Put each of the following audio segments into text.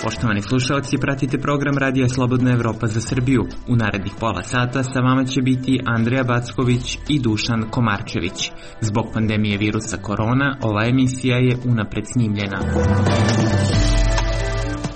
Poštovani slušalci, pratite program Radija Slobodna Evropa za Srbiju. U narednih pola sata sa vama će biti Andrija Backović i Dušan Komarčević. Zbog pandemije virusa korona, ova emisija je unapred snimljena.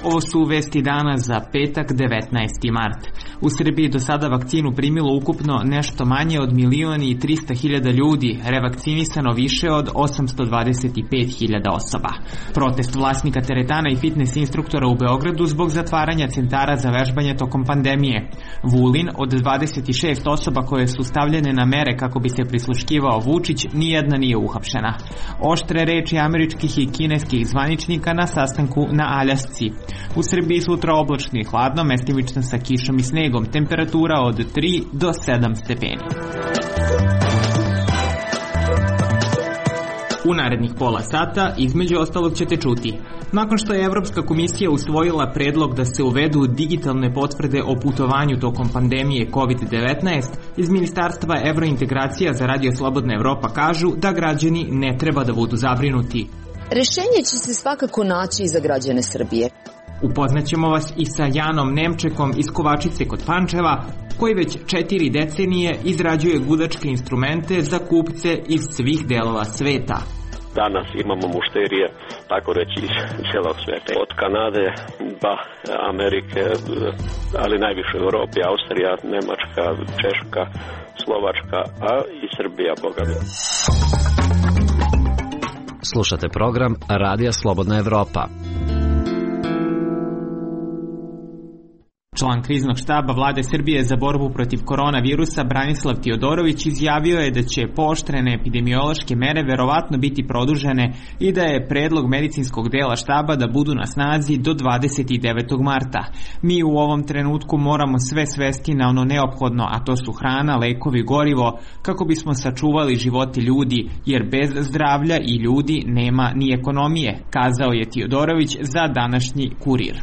Ovo su vesti dana za petak 19. mart. U Srbiji do sada vakcinu primilo ukupno nešto manje od 1.300.000 ljudi, revakcinisano više od 825.000 osoba. Protest vlasnika teretana i fitness instruktora u Beogradu zbog zatvaranja centara za vežbanje tokom pandemije. Vulin, od 26 osoba koje su stavljene na mere kako bi se prisluškivao Vučić, nijedna nije uhapšena. Oštre reči američkih i kineskih zvaničnika na sastanku na Aljasci. U Srbiji sutra oblačno i hladno, mestimično sa kišom i snegom, temperatura od 3 do 7 stepeni. U narednih pola sata, između ostalog, ćete čuti. Nakon što je Evropska komisija usvojila predlog da se uvedu digitalne potvrde o putovanju tokom pandemije COVID-19, iz Ministarstva evrointegracija za Radio Slobodna Evropa kažu da građani ne treba da budu zabrinuti. Rešenje će se svakako naći i za građane Srbije. Upoznaćemo vas i sa Janom Nemčekom iz Kovačice kod Pančeva, koji već 4 decenije izrađuje gudačke instrumente za kupce iz svih delova sveta. Danas imamo mušterije, tako reći, iz cijelog sveta. Od Kanade, Amerike, ali najviše u Europi, Austrija, Nemačka, Češka, Slovačka, a i Srbija, boga mi. Slušate program Radija Slobodna Evropa. Član kriznog štaba Vlade Srbije za borbu protiv koronavirusa Branislav Tiodorović izjavio je da će pooštrene epidemiološke mere verovatno biti produžene i da je predlog medicinskog dela štaba da budu na snazi do 29. marta. Mi u ovom trenutku moramo sve svesti na ono neophodno, a to su hrana, lekovi, gorivo, kako bismo sačuvali živote ljudi, jer bez zdravlja i ljudi nema ni ekonomije, kazao je Tiodorović za današnji Kurir.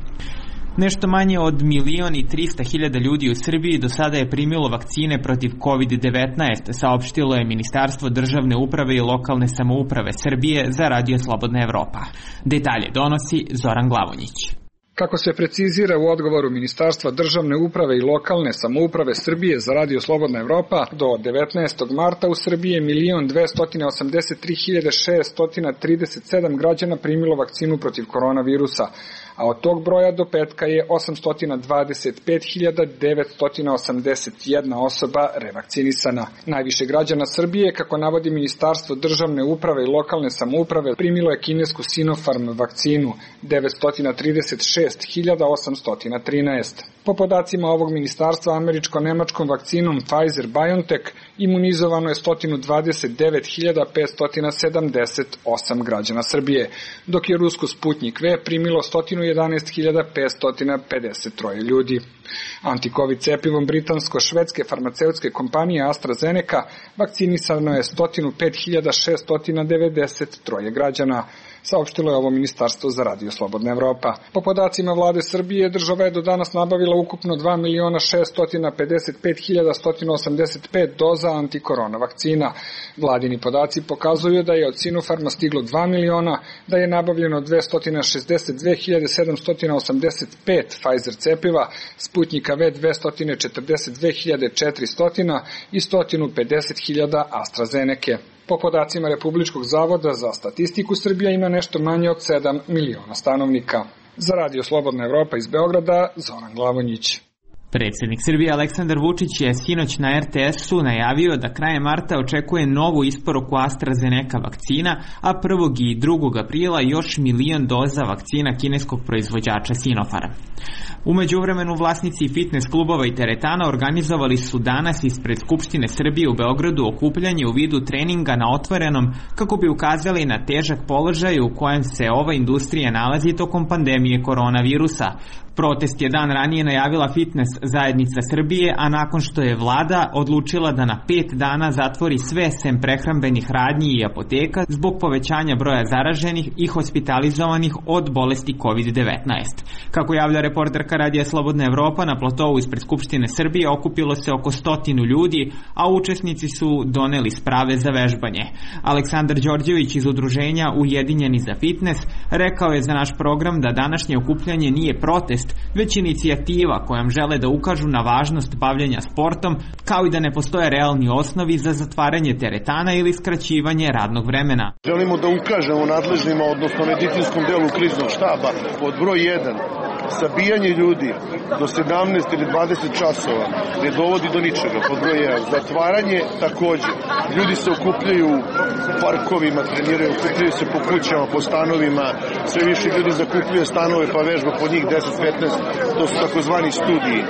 Nešto manje od 1.300.000 ljudi u Srbiji do sada je primilo vakcine protiv COVID-19, saopštilo je Ministarstvo državne uprave i lokalne samouprave Srbije za Radio Slobodna Evropa. Detalje donosi Zoran Glavonjić. Kako se precizira u odgovoru Ministarstva državne uprave i lokalne samouprave Srbije za Radio Slobodna Evropa, do 19. marta u Srbiji je 1.283.637 građana primilo vakcinu protiv koronavirusa, a od tog broja do petka je 825.981 osoba revakcinisana. Najviše građana Srbije, kako navodi Ministarstvo državne uprave i lokalne samouprave, primilo je kinesku Sinopharm vakcinu 936.813. Po podacima ovog ministarstva, američko-nemačkom vakcinom Pfizer-BioNTech imunizovano je 120.578 građana Srbije, dok je rusko Sputnik V primilo 111.553 ljudi. Anti-Covid cepivom britansko-švedske farmaceutske kompanije AstraZeneca vakcinisano je 105.693 građana, saopštilo je ovo ministarstvo za Radio Slobodna Evropa. Po podacima Vlade Srbije, država je do danas nabavila ukupno 2.655.185 doza antikorona vakcina. Vladini podaci pokazuju da je od Sinopharma stiglo 2 miliona, da je nabavljeno 262.785 Pfizer cepiva, Sputnika V 242.400 i 150.000 AstraZeneca. Po podacima Republičkog zavoda za statistiku, Srbija ima nešto manje od 7 miliona stanovnika. Za Radio Slobodna Evropa iz Beograda, Zoran Glavonjić. Predsjednik Srbije Aleksandar Vučić je sinoć na RTS-u najavio da krajem marta očekuje novu isporuku AstraZeneca vakcina, a 1. i 2. aprila još 1.000.000 doza vakcina kineskog proizvođača Sinopharm. U međuvremenu vlasnici fitness klubova i teretana organizovali su danas ispred Skupštine Srbije u Beogradu okupljanje u vidu treninga na otvorenom kako bi ukazali na težak položaj u kojem se ova industrija nalazi tokom pandemije koronavirusa. Protest je dan ranije najavila fitness zajednica Srbije, a nakon što je vlada odlučila da na 5 dana zatvori sve sem prehrambenih radnji i apoteka zbog povećanja broja zaraženih i hospitalizovanih od bolesti COVID-19. Kako javlja reporterka sastanka Radija Slobodna Evropa na platovu ispred Skupštine Srbije okupilo se oko 100 ljudi, a učesnici su doneli sprave za vežbanje. Aleksandar Đorđević iz udruženja Ujedinjeni za fitnes rekao je za naš program da današnje okupljanje nije protest, već inicijativa kojom žele da ukažu na važnost bavljenja sportom, kao i da ne postoje realni osnovi za zatvaranje teretana ili skraćivanje radnog vremena. Želimo da ukažemo nadležnima, odnosno medicinskom delu kriznog štaba, pod broj 1, sabijanje ljudi do 17 ili 20 časova ne dovodi do ničega, pod broj 1. Zatvaranje takođe. Ljudi se okupljaju u parkovima, treniraju, okupljaju se po kućama, po stanovima, sve više ljudi zakupljuje stanove pa vežba po njih 10-15, to su takozvani studiji.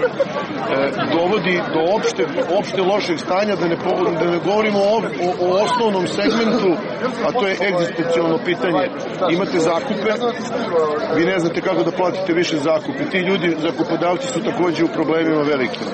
Dovodi do opšte lošeg stanja, da ne govorimo o osnovnom segmentu, a to je egzistencijalno pitanje. Imate zakupe, vi ne znate kako da platite više zakupe. Ti ljudi, zakupodavci, su takođe u problemima velikim.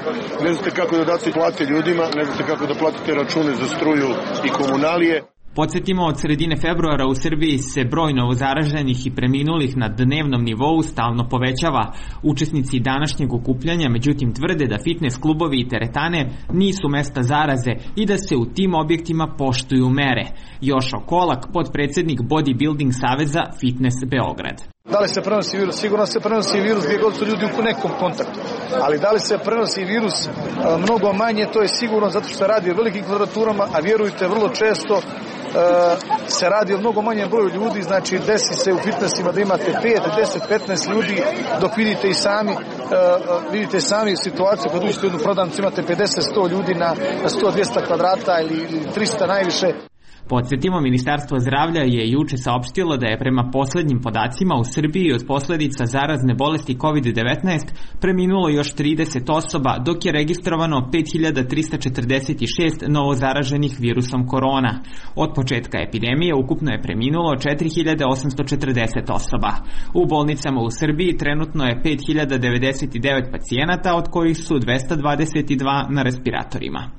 Ne znate kako da date plate ljudima, ne znate kako da platite račune za struju i komunalije. Podsjetimo, od sredine februara u Srbiji se broj novozaraženih i preminulih na dnevnom nivou stalno povećava. Učesnici današnjeg okupljanja međutim tvrde da fitness klubovi i teretane nisu mesta zaraze i da se u tim objektima poštuju mere. Jošo Kolak, potpredsednik Bodybuilding saveza Fitness Beograd. Da li se prenosi virus? Sigurno se prenosi virus gdje god su ljudi u nekom kontaktu. Ali da li se prenosi virus mnogo manje, to je sigurno zato što se radi o velikim kvadraturama, a vjerujte, vrlo često se radi o mnogo manjem broju ljudi, znači desi se u fitnessima da imate 5, 10, 15 ljudi, dok vidite sami situaciju kad uđete u jednu prodavnicu, imate 50-100 ljudi na 100-200 kvadrata ili 300 najviše. Podsjetimo, Ministarstvo zdravlja je juče saopštilo da je prema poslednjim podacima u Srbiji od posledica zarazne bolesti COVID-19 preminulo još 30 osoba, dok je registrovano 5346 novozaraženih virusom korona. Od početka epidemije ukupno je preminulo 4840 osoba. U bolnicama u Srbiji trenutno je 5099 pacijenata, od kojih su 222 na respiratorima.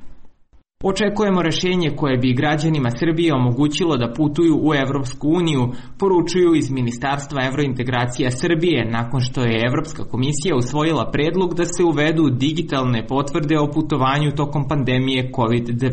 Očekujemo rešenje koje bi građanima Srbije omogućilo da putuju u Evropsku uniju, poručuju iz Ministarstva evrointegracija Srbije, nakon što je Evropska komisija usvojila predlog da se uvedu digitalne potvrde o putovanju tokom pandemije COVID-19.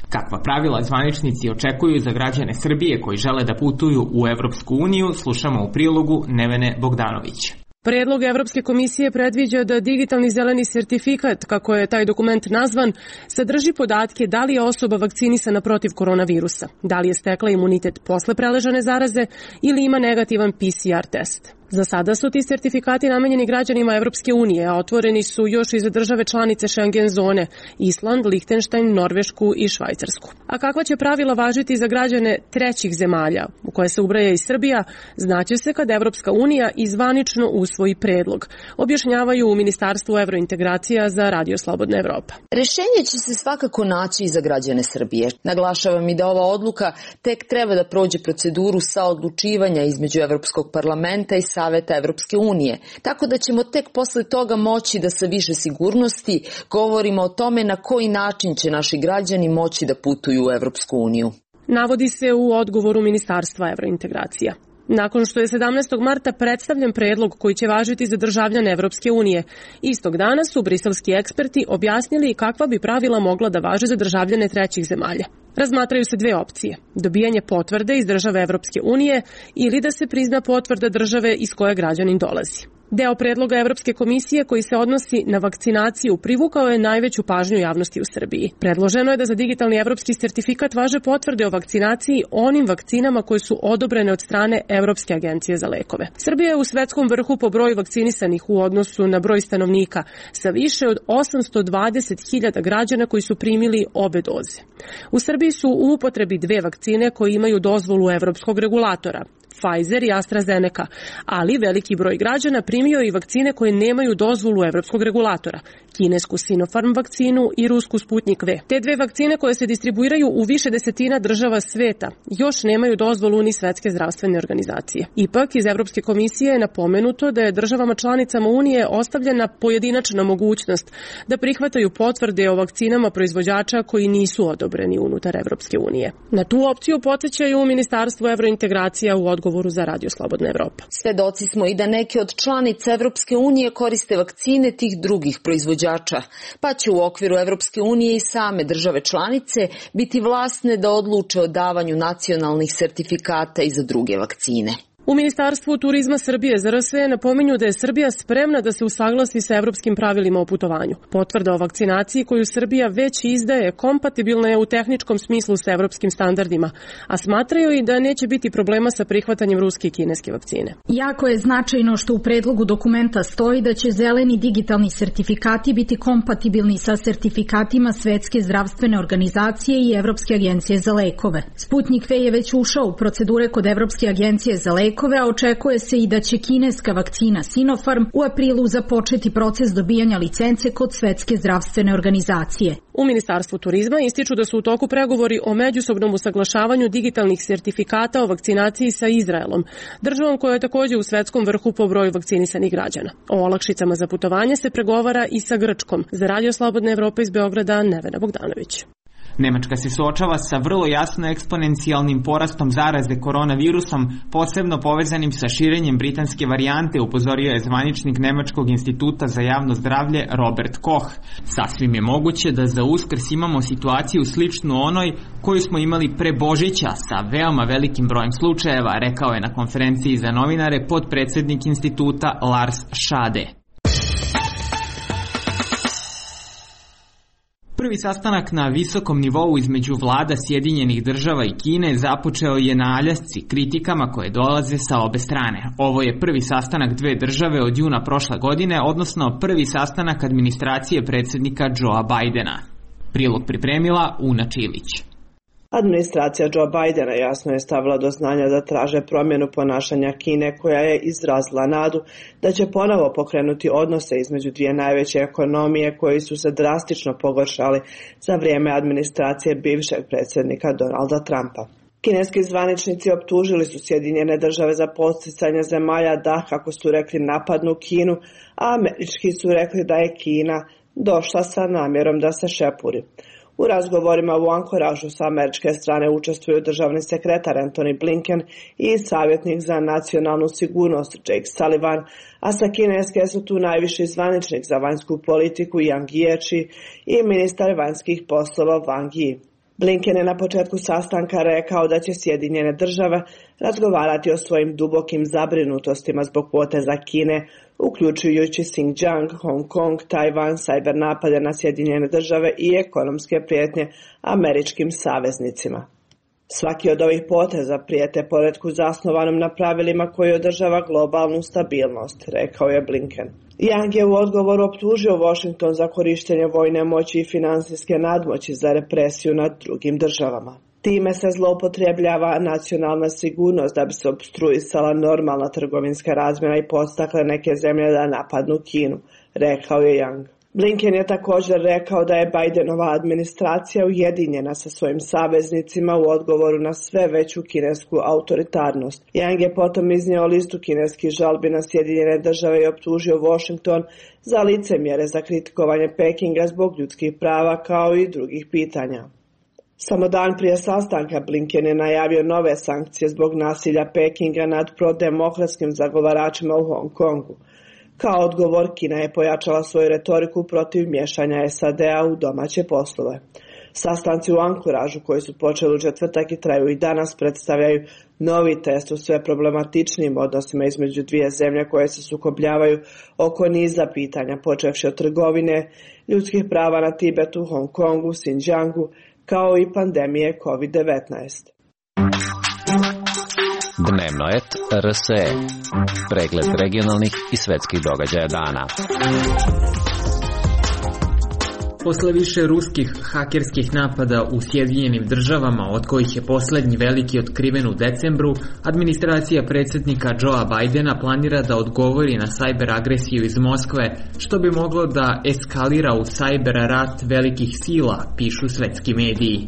Kakva pravila zvaničnici očekuju za građane Srbije koji žele da putuju u Evropsku uniju, slušamo u prilogu Nevene Bogdanović. Predlog Evropske komisije predviđa da digitalni zeleni sertifikat, kako je taj dokument nazvan, sadrži podatke da li je osoba vakcinisana protiv koronavirusa, da li je stekla imunitet posle preležane zaraze ili ima negativan PCR test. Za sada su ti sertifikati namenjeni građanima Evropske unije, a otvoreni su još i za države članice Schengen zone, Island, Lihtenštajn, Norvešku i Švajcarsku. A kakva će pravila važiti za građane trećih zemalja, u koje se ubraja i Srbija, znaće se kad Evropska unija izvanično usvoji predlog, objašnjavaju u Ministarstvu evrointegracija za Radio Slobodna Evropa. Rešenje će se svakako naći i za građane Srbije. Naglašavam i da ova odluka tek treba da prođe proceduru saodlučivanja između Evropskog parlamenta i Saveta Evropske unije, tako da ćemo tek posle toga moći da sa više sigurnosti govorimo o tome na koji način će naši građani moći da putuju u Evropsku uniju. Navodi se u odgovoru Ministarstva evrointegracija. Nakon što je 17. marta predstavljen predlog koji će važiti za državljane Evropske unije, istog dana su briselski eksperti objasnili kakva bi pravila mogla da važe za državljane trećih zemalja. Razmatraju se dve opcije: dobijanje potvrde iz države Evropske unije ili da se prizna potvrda države iz koje građanin dolazi. Deo predloga Evropske komisije koji se odnosi na vakcinaciju privukao je najveću pažnju javnosti u Srbiji. Predloženo je da za digitalni evropski sertifikat važe potvrde o vakcinaciji onim vakcinama koje su odobrene od strane Evropske agencije za lekove. Srbija je u svetskom vrhu po broju vakcinisanih u odnosu na broj stanovnika, sa više od 820.000 građana koji su primili obe doze. U Srbiji su u upotrebi dve vakcine koje imaju dozvolu evropskog regulatora, Pfizer i AstraZeneca, ali veliki broj građana primio i vakcine koje nemaju dozvolu evropskog regulatora, kinesku Sinopharm vakcinu i rusku Sputnik V. Te dve vakcine koje se distribuiraju u više desetina država sveta još nemaju dozvolu ni Svetske zdravstvene organizacije. Ipak, iz Evropske komisije je napomenuto da je državama članicama Unije ostavljena pojedinačna mogućnost da prihvataju potvrde o vakcinama proizvođača koji nisu odobreni unutar Evropske unije. Na tu opciju podsjećaju u Ministarstvu evrointegracija u odgovoru za Radio Slobodna Evropa. Svedoci smo i da neke od članica Evropske unije koriste vakcine tih drugih proizvođača, pa će u okviru Evropske unije i same države članice biti vlasne da odluče o davanju nacionalnih sertifikata i za druge vakcine. U Ministarstvu turizma Srbije ZRS napominju da je Srbija spremna da se usaglasi sa evropskim pravilima o putovanju. Potvrda o vakcinaciji koju Srbija već izdaje kompatibilna je u tehničkom smislu sa evropskim standardima, a smatraju i da neće biti problema sa prihvatanjem ruske i kineske vakcine. Jako je značajno što u predlogu dokumenta stoji da će zeleni digitalni sertifikati biti kompatibilni sa sertifikatima Svetske zdravstvene organizacije i Evropske agencije za lekove. Sputnik V je već ušao u procedure kod Evropske agencije za lekove, a očekuje se i da će kineska vakcina Sinopharm u aprilu započeti proces dobijanja licence kod Svetske zdravstvene organizacije. U Ministarstvu turizma ističu da su u toku pregovori o međusobnom usaglašavanju digitalnih sertifikata o vakcinaciji sa Izraelom, državom koja je također u svetskom vrhu po broju vakcinisanih građana. O olakšicama za putovanje se pregovara i sa Grčkom. Za Radio Slobodna Evropa iz Beograda, Nevena Bogdanović. Nemačka se suočava sa vrlo jasno eksponencijalnim porastom zaraze koronavirusom, posebno povezanim sa širenjem britanske varijante, upozorio je zvaničnik Nemačkog instituta za javno zdravlje Robert Koch. Sasvim je moguće da za Uskrs imamo situaciju sličnu onoj koju smo imali pre Božića sa veoma velikim brojem slučajeva, rekao je na konferenciji za novinare potpredsednik instituta Lars Schade. Prvi sastanak na visokom nivou između vlada Sjedinjenih država i Kine započeo je na Aljasci kritikama koje dolaze sa obe strane. Ovo je prvi sastanak dve države od juna prošle godine, odnosno prvi sastanak administracije predsjednika Joea Bidena. Prilog pripremila Una Čilić. Administracija Joea Bidena jasno je stavila do znanja da traže promjenu ponašanja Kine, koja je izrazila nadu da će ponovo pokrenuti odnose između dvije najveće ekonomije koji su se drastično pogoršali za vrijeme administracije bivšeg predsjednika Donalda Trumpa. Kineski zvaničnici optužili su Sjedinjene države za podsticanje zemalja da, kako su rekli, napadnu Kinu, a američki su rekli da je Kina došla sa namjerom da se šepuri. U razgovorima u Ankoražu sa američke strane učestvuju državni sekretar Antony Blinken i savjetnik za nacionalnu sigurnost Jake Sullivan, a sa kineske su tu najviši zvaničnik za vanjsku politiku Yang Jiechi i ministar vanjskih poslova Wang Yi. Blinken je na početku sastanka rekao da će Sjedinjene države razgovarati o svojim dubokim zabrinutostima zbog poteza Kine, uključujući Xinjiang, Hong Kong, Tajvan, sajber napade na Sjedinjene države i ekonomske prijetnje američkim saveznicima. Svaki od ovih poteza prijete poretku zasnovanom na pravilima koji održava globalnu stabilnost, rekao je Blinken. Yang je u odgovoru optužio Washington za korištenje vojne moći i finansijske nadmoći za represiju nad drugim državama. Time se zloupotrebljava nacionalna sigurnost da bi se opstruisala normalna trgovinska razmjena i podstakle neke zemlje da napadnu Kinu, rekao je Yang. Blinken je također rekao da je Bidenova administracija ujedinjena sa svojim saveznicima u odgovoru na sve veću kinesku autoritarnost. Yang je potom iznio listu kineskih žalbi na Sjedinjene države i optužio Washington za licemjere za kritikovanje Pekinga zbog ljudskih prava kao i drugih pitanja. Samo dan prije sastanka Blinken je najavio nove sankcije zbog nasilja Pekinga nad prodemokratskim zagovaračima u Hong Kongu. Kao odgovor, Kina je pojačala svoju retoriku protiv miješanja SAD-a u domaće poslove. Sastanci u Ankoražu, koji su počeli u četvrtak i traju i danas, predstavljaju novi test u sve problematičnim odnosima između dvije zemlje koje se sukobljavaju oko niza pitanja, počevši od trgovine, ljudskih prava na Tibetu, Hong Kongu, Xinjiangu, kao i pandemije COVID-19. Dnevno et RSE. Pregled regionalnih i svetskih događaja dana. Posle više ruskih hakerskih napada u Sjedinjenim državama, od kojih je poslednji veliki otkriven u decembru, administracija predsjednika Joea Bidena planira da odgovori na sajber agresiju iz Moskve, što bi moglo da eskalira u sajber rat velikih sila, pišu svetski mediji.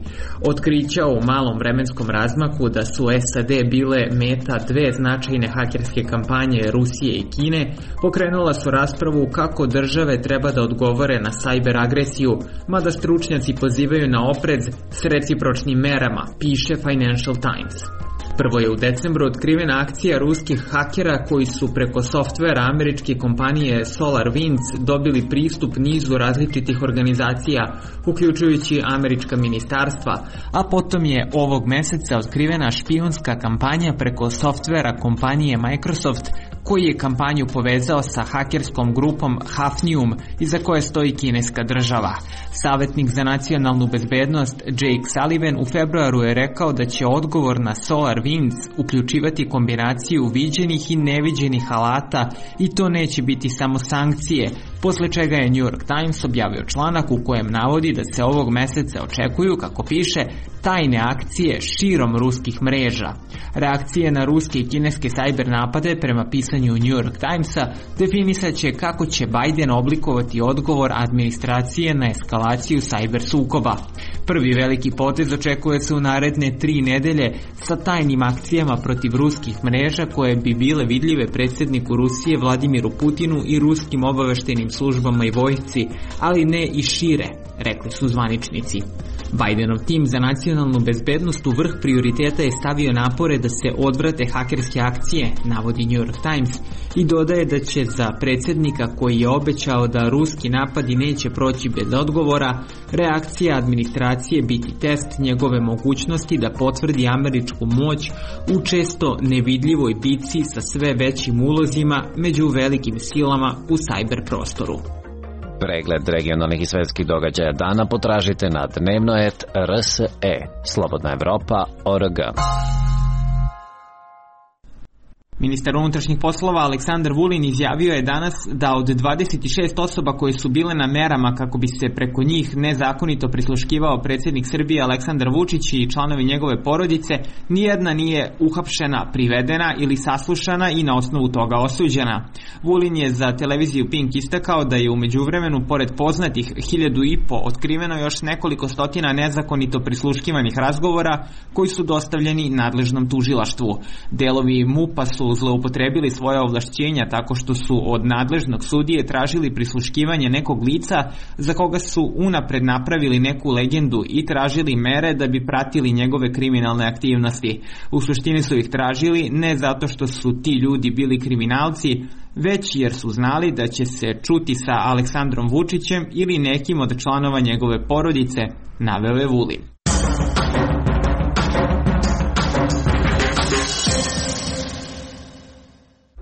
Otkrića u malom vremenskom razmaku da su SAD bile meta dve značajne hakerske kampanje Rusije i Kine pokrenula su raspravu kako države treba da odgovore na sajber agresiju, mada stručnjaci pozivaju na oprez s recipročnim merama, piše Financial Times. Prvo je u decembru otkrivena akcija ruskih hakera koji su preko softvera američke kompanije SolarWinds dobili pristup nizu različitih organizacija, uključujući američka ministarstva, a potom je ovog meseca otkrivena špijunska kampanja preko softvera kompanije Microsoft, koji je kampanju povezao sa hakerskom grupom Hafnium, iza koje stoji kineska država. Savjetnik za nacionalnu bezbednost Jake Sullivan u februaru je rekao da će odgovor na SolarWinds uključivati kombinaciju viđenih i neviđenih alata i to neće biti samo sankcije, posle čega je New York Times objavio članak u kojem navodi da se ovog meseca očekuju, kako piše, tajne akcije širom ruskih mreža. Reakcije na ruske i kineske sajber napade, prema pisanju New York Timesa, definisat će kako će Biden oblikovati odgovor administracije na eskalaciju sajber sukoba. Prvi veliki potez očekuje se u naredne 3 nedelje sa tajnim akcijama protiv ruskih mreža koje bi bile vidljive predsjedniku Rusije Vladimiru Putinu i ruskim obaveštajnim službama i vojsci, ali ne i šire, rekli su zvaničnici. Bidenov tim za nacionalnu bezbednost u vrh prioriteta je stavio napore da se odvrate hakerske akcije, navodi New York Times, i dodaje da će za predsjednika koji je obećao da ruski napadi neće proći bez odgovora, reakcija administracije biti test njegove mogućnosti da potvrdi američku moć u često nevidljivoj bici sa sve većim ulozima među velikim silama u sajber prostoru. Pregled regionalnih i svetskih događaja dana potražite na dnevno.rs.e. Slobodna Evropa.org. Ministar unutrašnjih poslova Aleksandar Vulin izjavio je danas da od 26 osoba koje su bile na merama kako bi se preko njih nezakonito prisluškivao predsjednik Srbije Aleksandar Vučić i članovi njegove porodice, nijedna nije uhapšena, privedena ili saslušana i na osnovu toga osuđena. Vulin je za televiziju Pink istakao da je u međuvremenu, pored poznatih 1500, otkriveno još nekoliko stotina nezakonito prisluškivanih razgovora koji su dostavljeni nadležnom tužilaštvu. Delovi MUP-a su zloupotrebili svoja ovlašćenja tako što su od nadležnog sudije tražili prisluškivanje nekog lica za koga su unapred napravili neku legendu i tražili mere da bi pratili njegove kriminalne aktivnosti. U suštini su ih tražili ne zato što su ti ljudi bili kriminalci, već jer su znali da će se čuti sa Aleksandrom Vučićem ili nekim od članova njegove porodice, naveo je Vulin.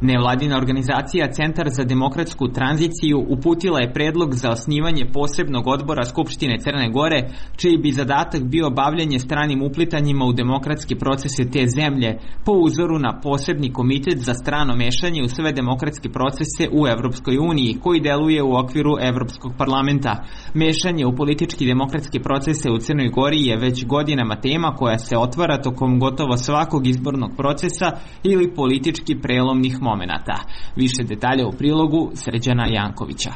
Nevladina organizacija Centar za demokratsku tranziciju uputila je predlog za osnivanje posebnog odbora Skupštine Crne Gore, čiji bi zadatak bio bavljenje stranim uplitanjima u demokratske procese te zemlje, po uzoru na posebni komitet za strano mešanje u sve demokratske procese u Evropskoj uniji, koji deluje u okviru Evropskog parlamenta. Mešanje u politički demokratske procese u Crnoj Gori je već godinama tema koja se otvara tokom gotovo svakog izbornog procesa ili politički prelomnih momenata. Više detalja u prilogu Srđana Jankovića.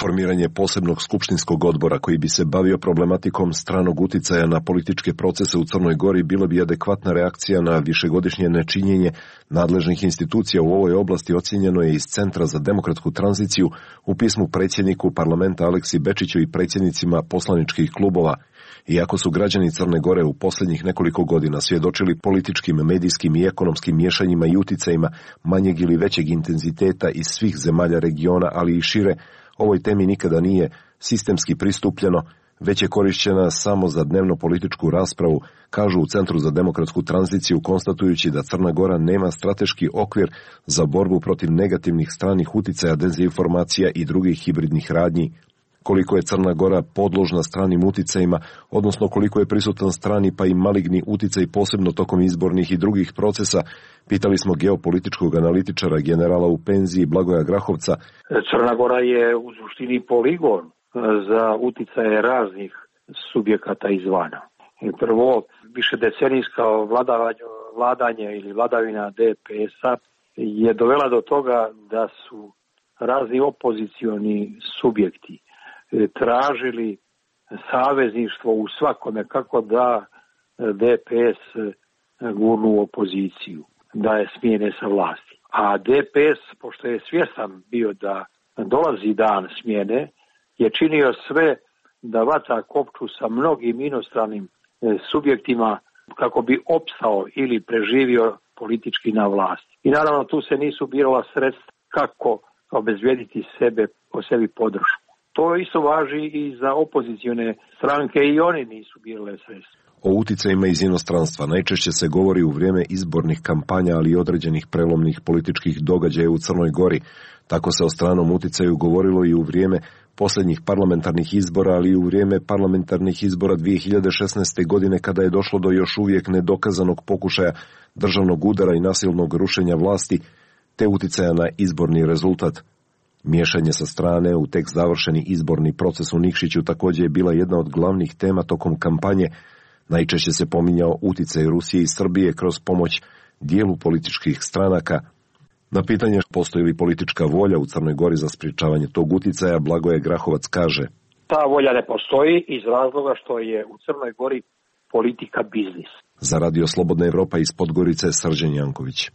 Formiranje posebnog skupštinskog odbora koji bi se bavio problematikom stranog uticaja na političke procese u Crnoj Gori bila bi adekvatna reakcija na višegodišnje nečinjenje nadležnih institucija u ovoj oblasti, ocjenjeno je iz Centra za demokratsku tranziciju u pismu predsjedniku parlamenta Aleksi Bečiću i predsjednicima poslaničkih klubova. Iako su građani Crne Gore u posljednjih nekoliko godina svjedočili političkim, medijskim i ekonomskim miješanjima i uticajima manjeg ili većeg intenziteta iz svih zemalja regiona, ali i šire, ovoj temi nikada nije sistemski pristupljeno, već je korišćena samo za dnevno političku raspravu, kažu u Centru za demokratsku tranziciju, konstatujući da Crna Gora nema strateški okvir za borbu protiv negativnih stranih uticaja, dezinformacija i drugih hibridnih radnji. Koliko je Crna Gora podložna stranim uticajima, odnosno koliko je prisutan strani pa i maligni uticaj posebno tokom izbornih i drugih procesa, pitali smo geopolitičkog analitičara, generala u penziji Blagoja Grahovca. Crna Gora je u suštini poligon za uticaje raznih subjekata izvana. Prvo, višedecenijska vladanje ili vladavina DPS-a je dovela do toga da su razni opozicioni subjekti tražili savezništvo u svakome kako da DPS gurnu u opoziciju, da je smijene sa vlasti. A DPS, pošto je svjestan bio da dolazi dan smjene, je činio sve da vaca kopču sa mnogim inostranim subjektima kako bi opstao ili preživio politički na vlasti. I naravno tu se nisu birala sredstva kako obezbijediti po sebi podršku. To isto važi i za opozicione stranke i oni nisu birale sredstva. O uticajima iz inostranstva najčešće se govori u vrijeme izbornih kampanja, ali i određenih prelomnih političkih događaja u Crnoj Gori. Tako se o stranom uticaju govorilo i u vrijeme posljednjih parlamentarnih izbora, ali i u vrijeme parlamentarnih izbora 2016. godine kada je došlo do još uvijek nedokazanog pokušaja državnog udara i nasilnog rušenja vlasti, te uticaja na izborni rezultat. Miješanje sa strane u tek završeni izborni proces u Nikšiću također je bila jedna od glavnih tema tokom kampanje. Najčešće se pominjao uticaj Rusije i Srbije kroz pomoć dijelu političkih stranaka. Na pitanje postoji li politička volja u Crnoj Gori za sprječavanje tog uticaja, Blagoje Grahovac kaže: ta volja ne postoji iz razloga što je u Crnoj Gori politika biznis. Za Radio Slobodna Evropa iz Podgorice, Srđan Janković.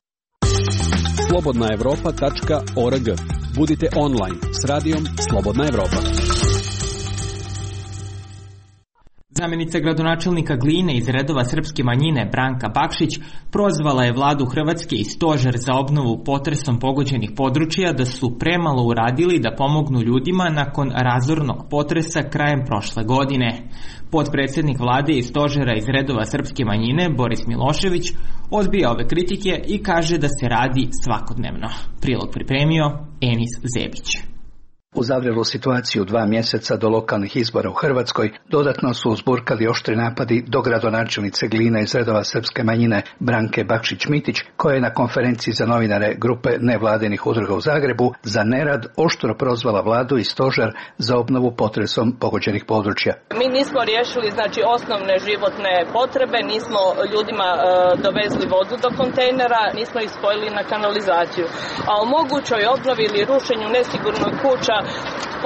slobodnaevropa.org. Budite online s radijom Slobodna Evropa. Zamjenica gradonačelnika Gline iz redova srpske manjine Branka Bakšić prozvala je vladu Hrvatske i stožer za obnovu potresom pogođenih područja da su premalo uradili da pomognu ljudima nakon razornog potresa krajem prošle godine. Potpredsjednik vlade i stožera iz redova srpske manjine Boris Milošević odbija ove kritike i kaže da se radi svakodnevno. Prilog pripremio Enis Zebić. U zavrelu situaciju 2 mjeseca do lokalnih izbora u Hrvatskoj dodatno su uzburkali oštri napadi do gradonačelnice Gline iz redova srpske manjine Branke Bakšić-Mitić, koja je na konferenciji za novinare grupe nevladinih udruga u Zagrebu za nerad oštro prozvala vladu i stožer za obnovu potresom pogođenih područja. Mi nismo riješili osnovne životne potrebe, nismo ljudima dovezli vodu do kontejnera, nismo ih spojili na kanalizaciju. A o mogućoj obnovi ili rušenju nesigurnog kuća,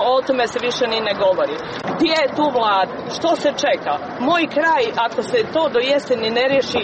o tome se više ni ne govori. Gdje je tu vlada? Što se čeka? Moj kraj, ako se to do jeseni ne riješi,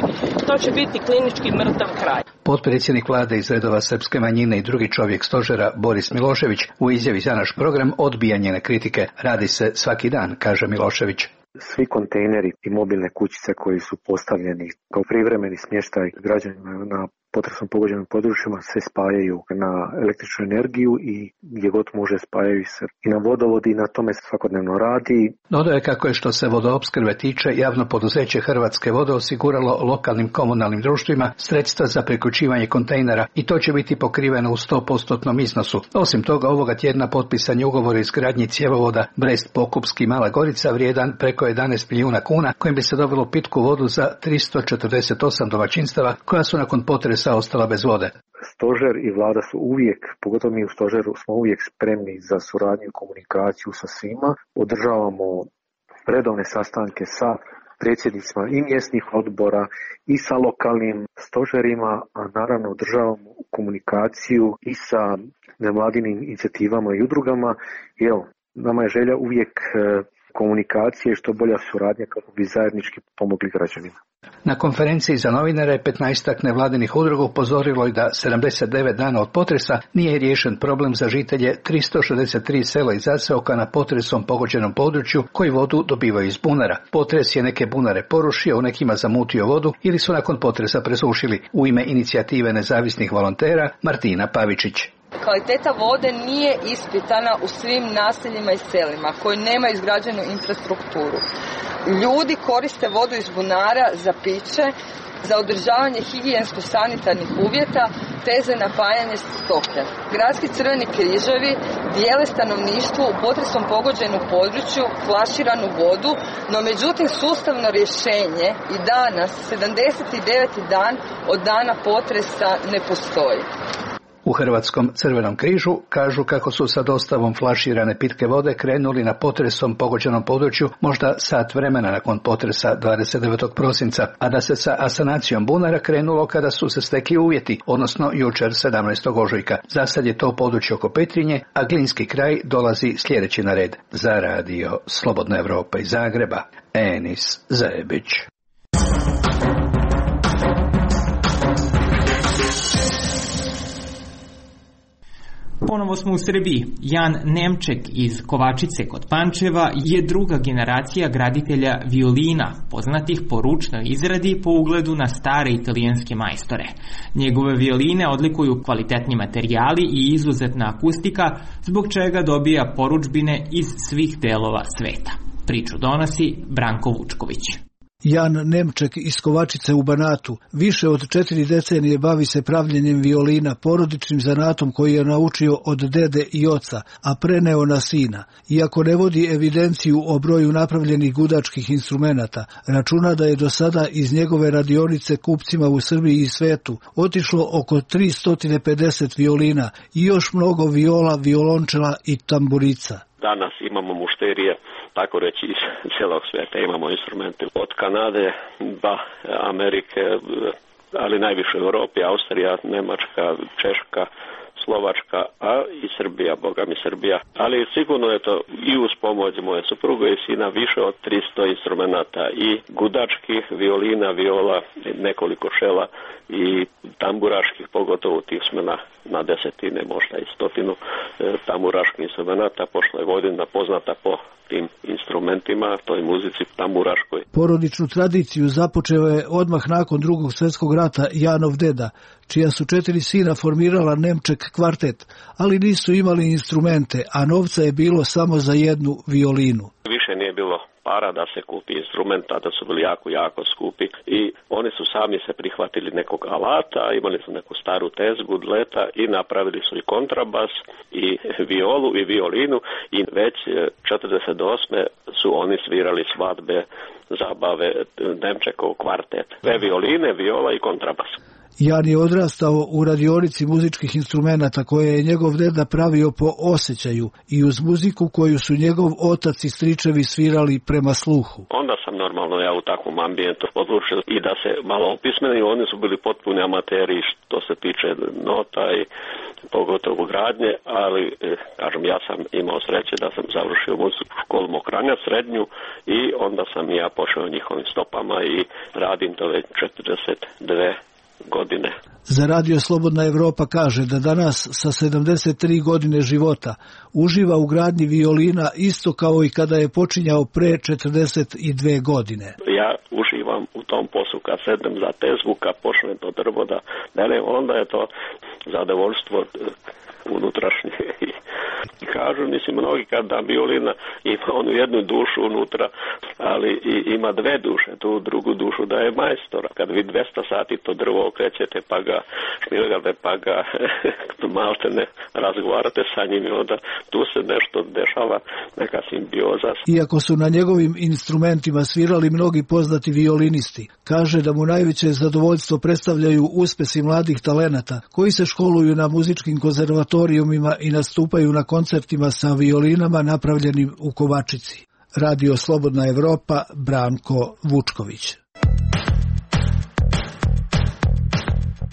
to će biti klinički mrtav kraj. Potpredsjednik vlade iz redova srpske manjine i drugi čovjek stožera Boris Milošević u izjavi za naš program odbija njene kritike. Radi se svaki dan, kaže Milošević. Svi kontejneri i mobilne kućice koji su postavljeni kao privremeni smještaj građanima na potresom pogođenim područjima se spajaju na električnu energiju i gdje god može spajaju se i na vodovod i na tome se svakodnevno radi. Dodao je kako je što se vodoopskrbe tiče, javno poduzeće Hrvatske vode osiguralo lokalnim komunalnim društvima sredstva za priključivanje kontejnera i to će biti pokriveno u 100% iznosu. Osim toga, ovoga tjedna potpisan je ugovor o izgradnji cjevovoda Brest-Pokupski Mala Gorica vrijedan preko 11 milijuna kuna, kojim bi se dobilo pitku vodu za 348 domaćinstava koja su nakon potresa ostala bez vode. Stožer i vlada su uvijek, pogotovo mi u stožeru, smo uvijek spremni za suradnju i komunikaciju sa svima. Održavamo redovne sastanke sa predsjednicima i mjesnih odbora i sa lokalnim stožerima, a naravno održavamo komunikaciju i sa nevladinim inicijativama i udrugama. I evo, nama je želja uvijek komunikacije i što bolja suradnja kako bi zajednički pomogli građanima. Na konferenciji za novinare 15-ak nevladinih udruga upozorilo je da 79 dana od potresa nije riješen problem za žitelje 363 sela i zaseoka na potresom pogođenom području koji vodu dobivaju iz bunara. Potres je neke bunare porušio, u nekima zamutio vodu ili su nakon potresa presušili. U ime inicijative nezavisnih volontera Martina Pavičić. Kvaliteta vode nije ispitana u svim naseljima i selima koji nemaju izgrađenu infrastrukturu. Ljudi koriste vodu iz bunara za piće, za održavanje higijensko-sanitarnih uvjeta te za napajanje stoke. Gradski crveni križevi dijele stanovništvu u potresom pogođenom području flaširanu vodu, no međutim sustavno rješenje i danas, 79. dan od dana potresa, ne postoji. U Hrvatskom Crvenom križu kažu kako su sa dostavom flaširane pitke vode krenuli na potresom pogođenom području možda sat vremena nakon potresa 29. prosinca, a da se sa asanacijom bunara krenulo kada su se stekli uvjeti, odnosno jučer 17. ožujka. Za sad je to područje oko Petrinje, a Glinski kraj dolazi sljedeći na red. Za radio Slobodna Evropa iz Zagreba, Enis Zajebić. Ponovo smo u Srbiji. Jan Nemček iz Kovačice kod Pančeva je druga generacija graditelja violina, poznatih po ručnoj izradi po ugledu na stare italijanske majstore. Njegove violine odlikuju kvalitetni materijali i izuzetna akustika, zbog čega dobija porudžbine iz svih delova sveta. Priču donosi Branko Vučković. Jan Nemček iz Kovačice u Banatu više od 4 decenije bavi se pravljenjem violina, porodičnim zanatom koji je naučio od dede i oca, a preneo na sina. Iako ne vodi evidenciju o broju napravljenih gudačkih instrumenata, računa da je do sada iz njegove radionice kupcima u Srbiji i svetu otišlo oko 350 violina i još mnogo viola, violončela i tamburica. Danas imamo mušterije, tako reći, iz cijelog svijeta. Imamo instrumente od Kanade, Amerike, ali najviše u Europi, Austrija, Njemačka, Češka, Slovačka, a i Srbija, boga mi Srbija. Ali sigurno je to i uz pomoć moje supruge i sina više od 300 instrumenata i gudačkih, violina, viola, nekoliko šela i tamburaških, pogotovo tih smo na desetine, možda i 100 tamburaških instrumenata. Prošla je godina poznata po tim instrumentima, toj muzici tamburaškoj. Porodičnu tradiciju započeo je odmah nakon Drugog svjetskog rata Janov deda, čija su 4 sina formirala Nemček kvartet, ali nisu imali instrumente, a novca je bilo samo za jednu violinu. Više nije bilo para da se kupi instrumenta, da su bili jako skupi i oni su sami se prihvatili nekog alata, imali su neku staru tezgu, dleta i napravili su i kontrabas i violu i violinu i već 48. su oni svirali svadbe, zabave, Nemčekov kvartet. Dve violine, viola i kontrabas. Jan je odrastao u radionici muzičkih instrumenata koje je njegov deda pravio po osjećaju i uz muziku koju su njegov otac i stričevi svirali prema sluhu. Onda sam normalno ja u takvom ambijentu odlučio i da se malo opismeni, oni su bili potpuni amateri što se tiče nota i pogotovo gradnje, ali kažem ja sam imao sreće da sam završio muzičku školu Mokranja, srednju i onda sam ja pošao njihovim stopama i radim to već 42 godine. Za radio Slobodna Evropa kaže da danas sa 73 godine života uživa u gradnji violina isto kao i kada je počinjao pre 42 godine. Ja uživam u tom poslu kad sedem za tezgu, kad počnem to drvo da onda je to zadovoljstvo unutrašnje. I kažu, mislim, mnogi kad da violina ima onu jednu dušu unutra, ali ima dve duše, tu drugu dušu da je majstora. Kad vi 200 sati to drvo okrećete, pa ga šmilgate, pa ga malte ne razgovarate sa njim i onda tu se nešto dešava, neka simbioza. Iako su na njegovim instrumentima svirali mnogi poznati violinisti, kaže da mu najveće zadovoljstvo predstavljaju uspesi mladih talenata koji se školuju na muzičkim konzervatorijumima i nastupaju na koncertima sa violinama napravljenim u Kovačici. Radio Slobodna Evropa, Branko Vučković.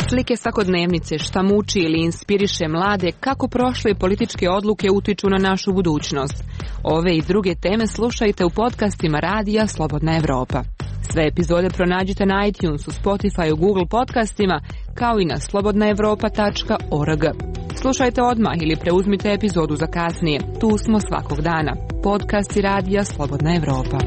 Slike svakodnevnice, šta muči ili inspiriše mlade, kako prošle političke odluke utiču na našu budućnost. Ove i druge teme slušajte u podcastima Radija Slobodna Evropa. Sve epizode pronađite na iTunesu, Spotify, Google podcastima, kao i na slobodnaevropa.org. Slušajte odmah ili preuzmite epizodu za kasnije. Tu smo svakog dana. Podcasti Radija Slobodna Evropa.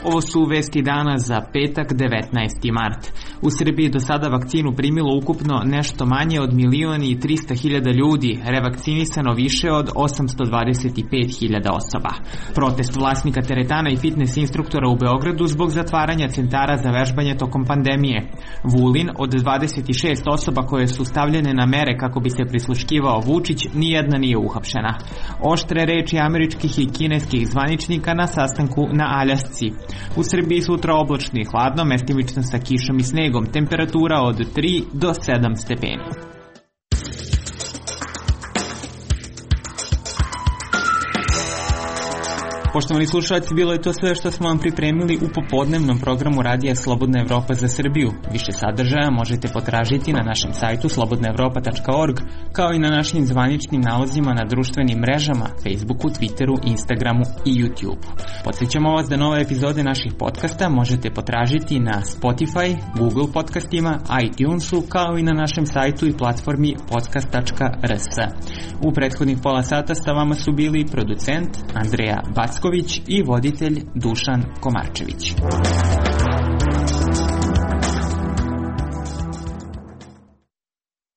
Ovo su vesti dana za petak 19. mart. U Srbiji do sada vakcinu primilo ukupno nešto manje od 1.300.000 ljudi, revakcinisano više od 825.000 osoba. Protest vlasnika teretana i fitness instruktora u Beogradu zbog zatvaranja centara za vežbanje tokom pandemije. Vulin, od 26 osoba koje su stavljene na mere kako bi se prisluškivao Vučić, nijedna nije uhapšena. Oštre reči američkih i kineskih zvaničnika na sastanku na Aljasci. U Srbiji sutra oblačno i hladno, mestimično sa kišom i snegom, temperatura od 3 do 7 stepeni. Poštovani slušalci, bilo je to sve što smo vam pripremili u popodnevnom programu Radija Slobodna Evropa za Srbiju. Više sadržaja možete potražiti na našem sajtu slobodnaevropa.org, kao i na našim zvaničnim nalozima na društvenim mrežama, Facebooku, Twitteru, Instagramu i YouTubeu. Podsjećamo vas da nove epizode naših podcasta možete potražiti na Spotify, Google podcastima, iTunesu, kao i na našem sajtu i platformi podcast.rs. U prethodnih pola sata sa vama su bili producent Andreja Backović i voditelj Dušan Komarčević.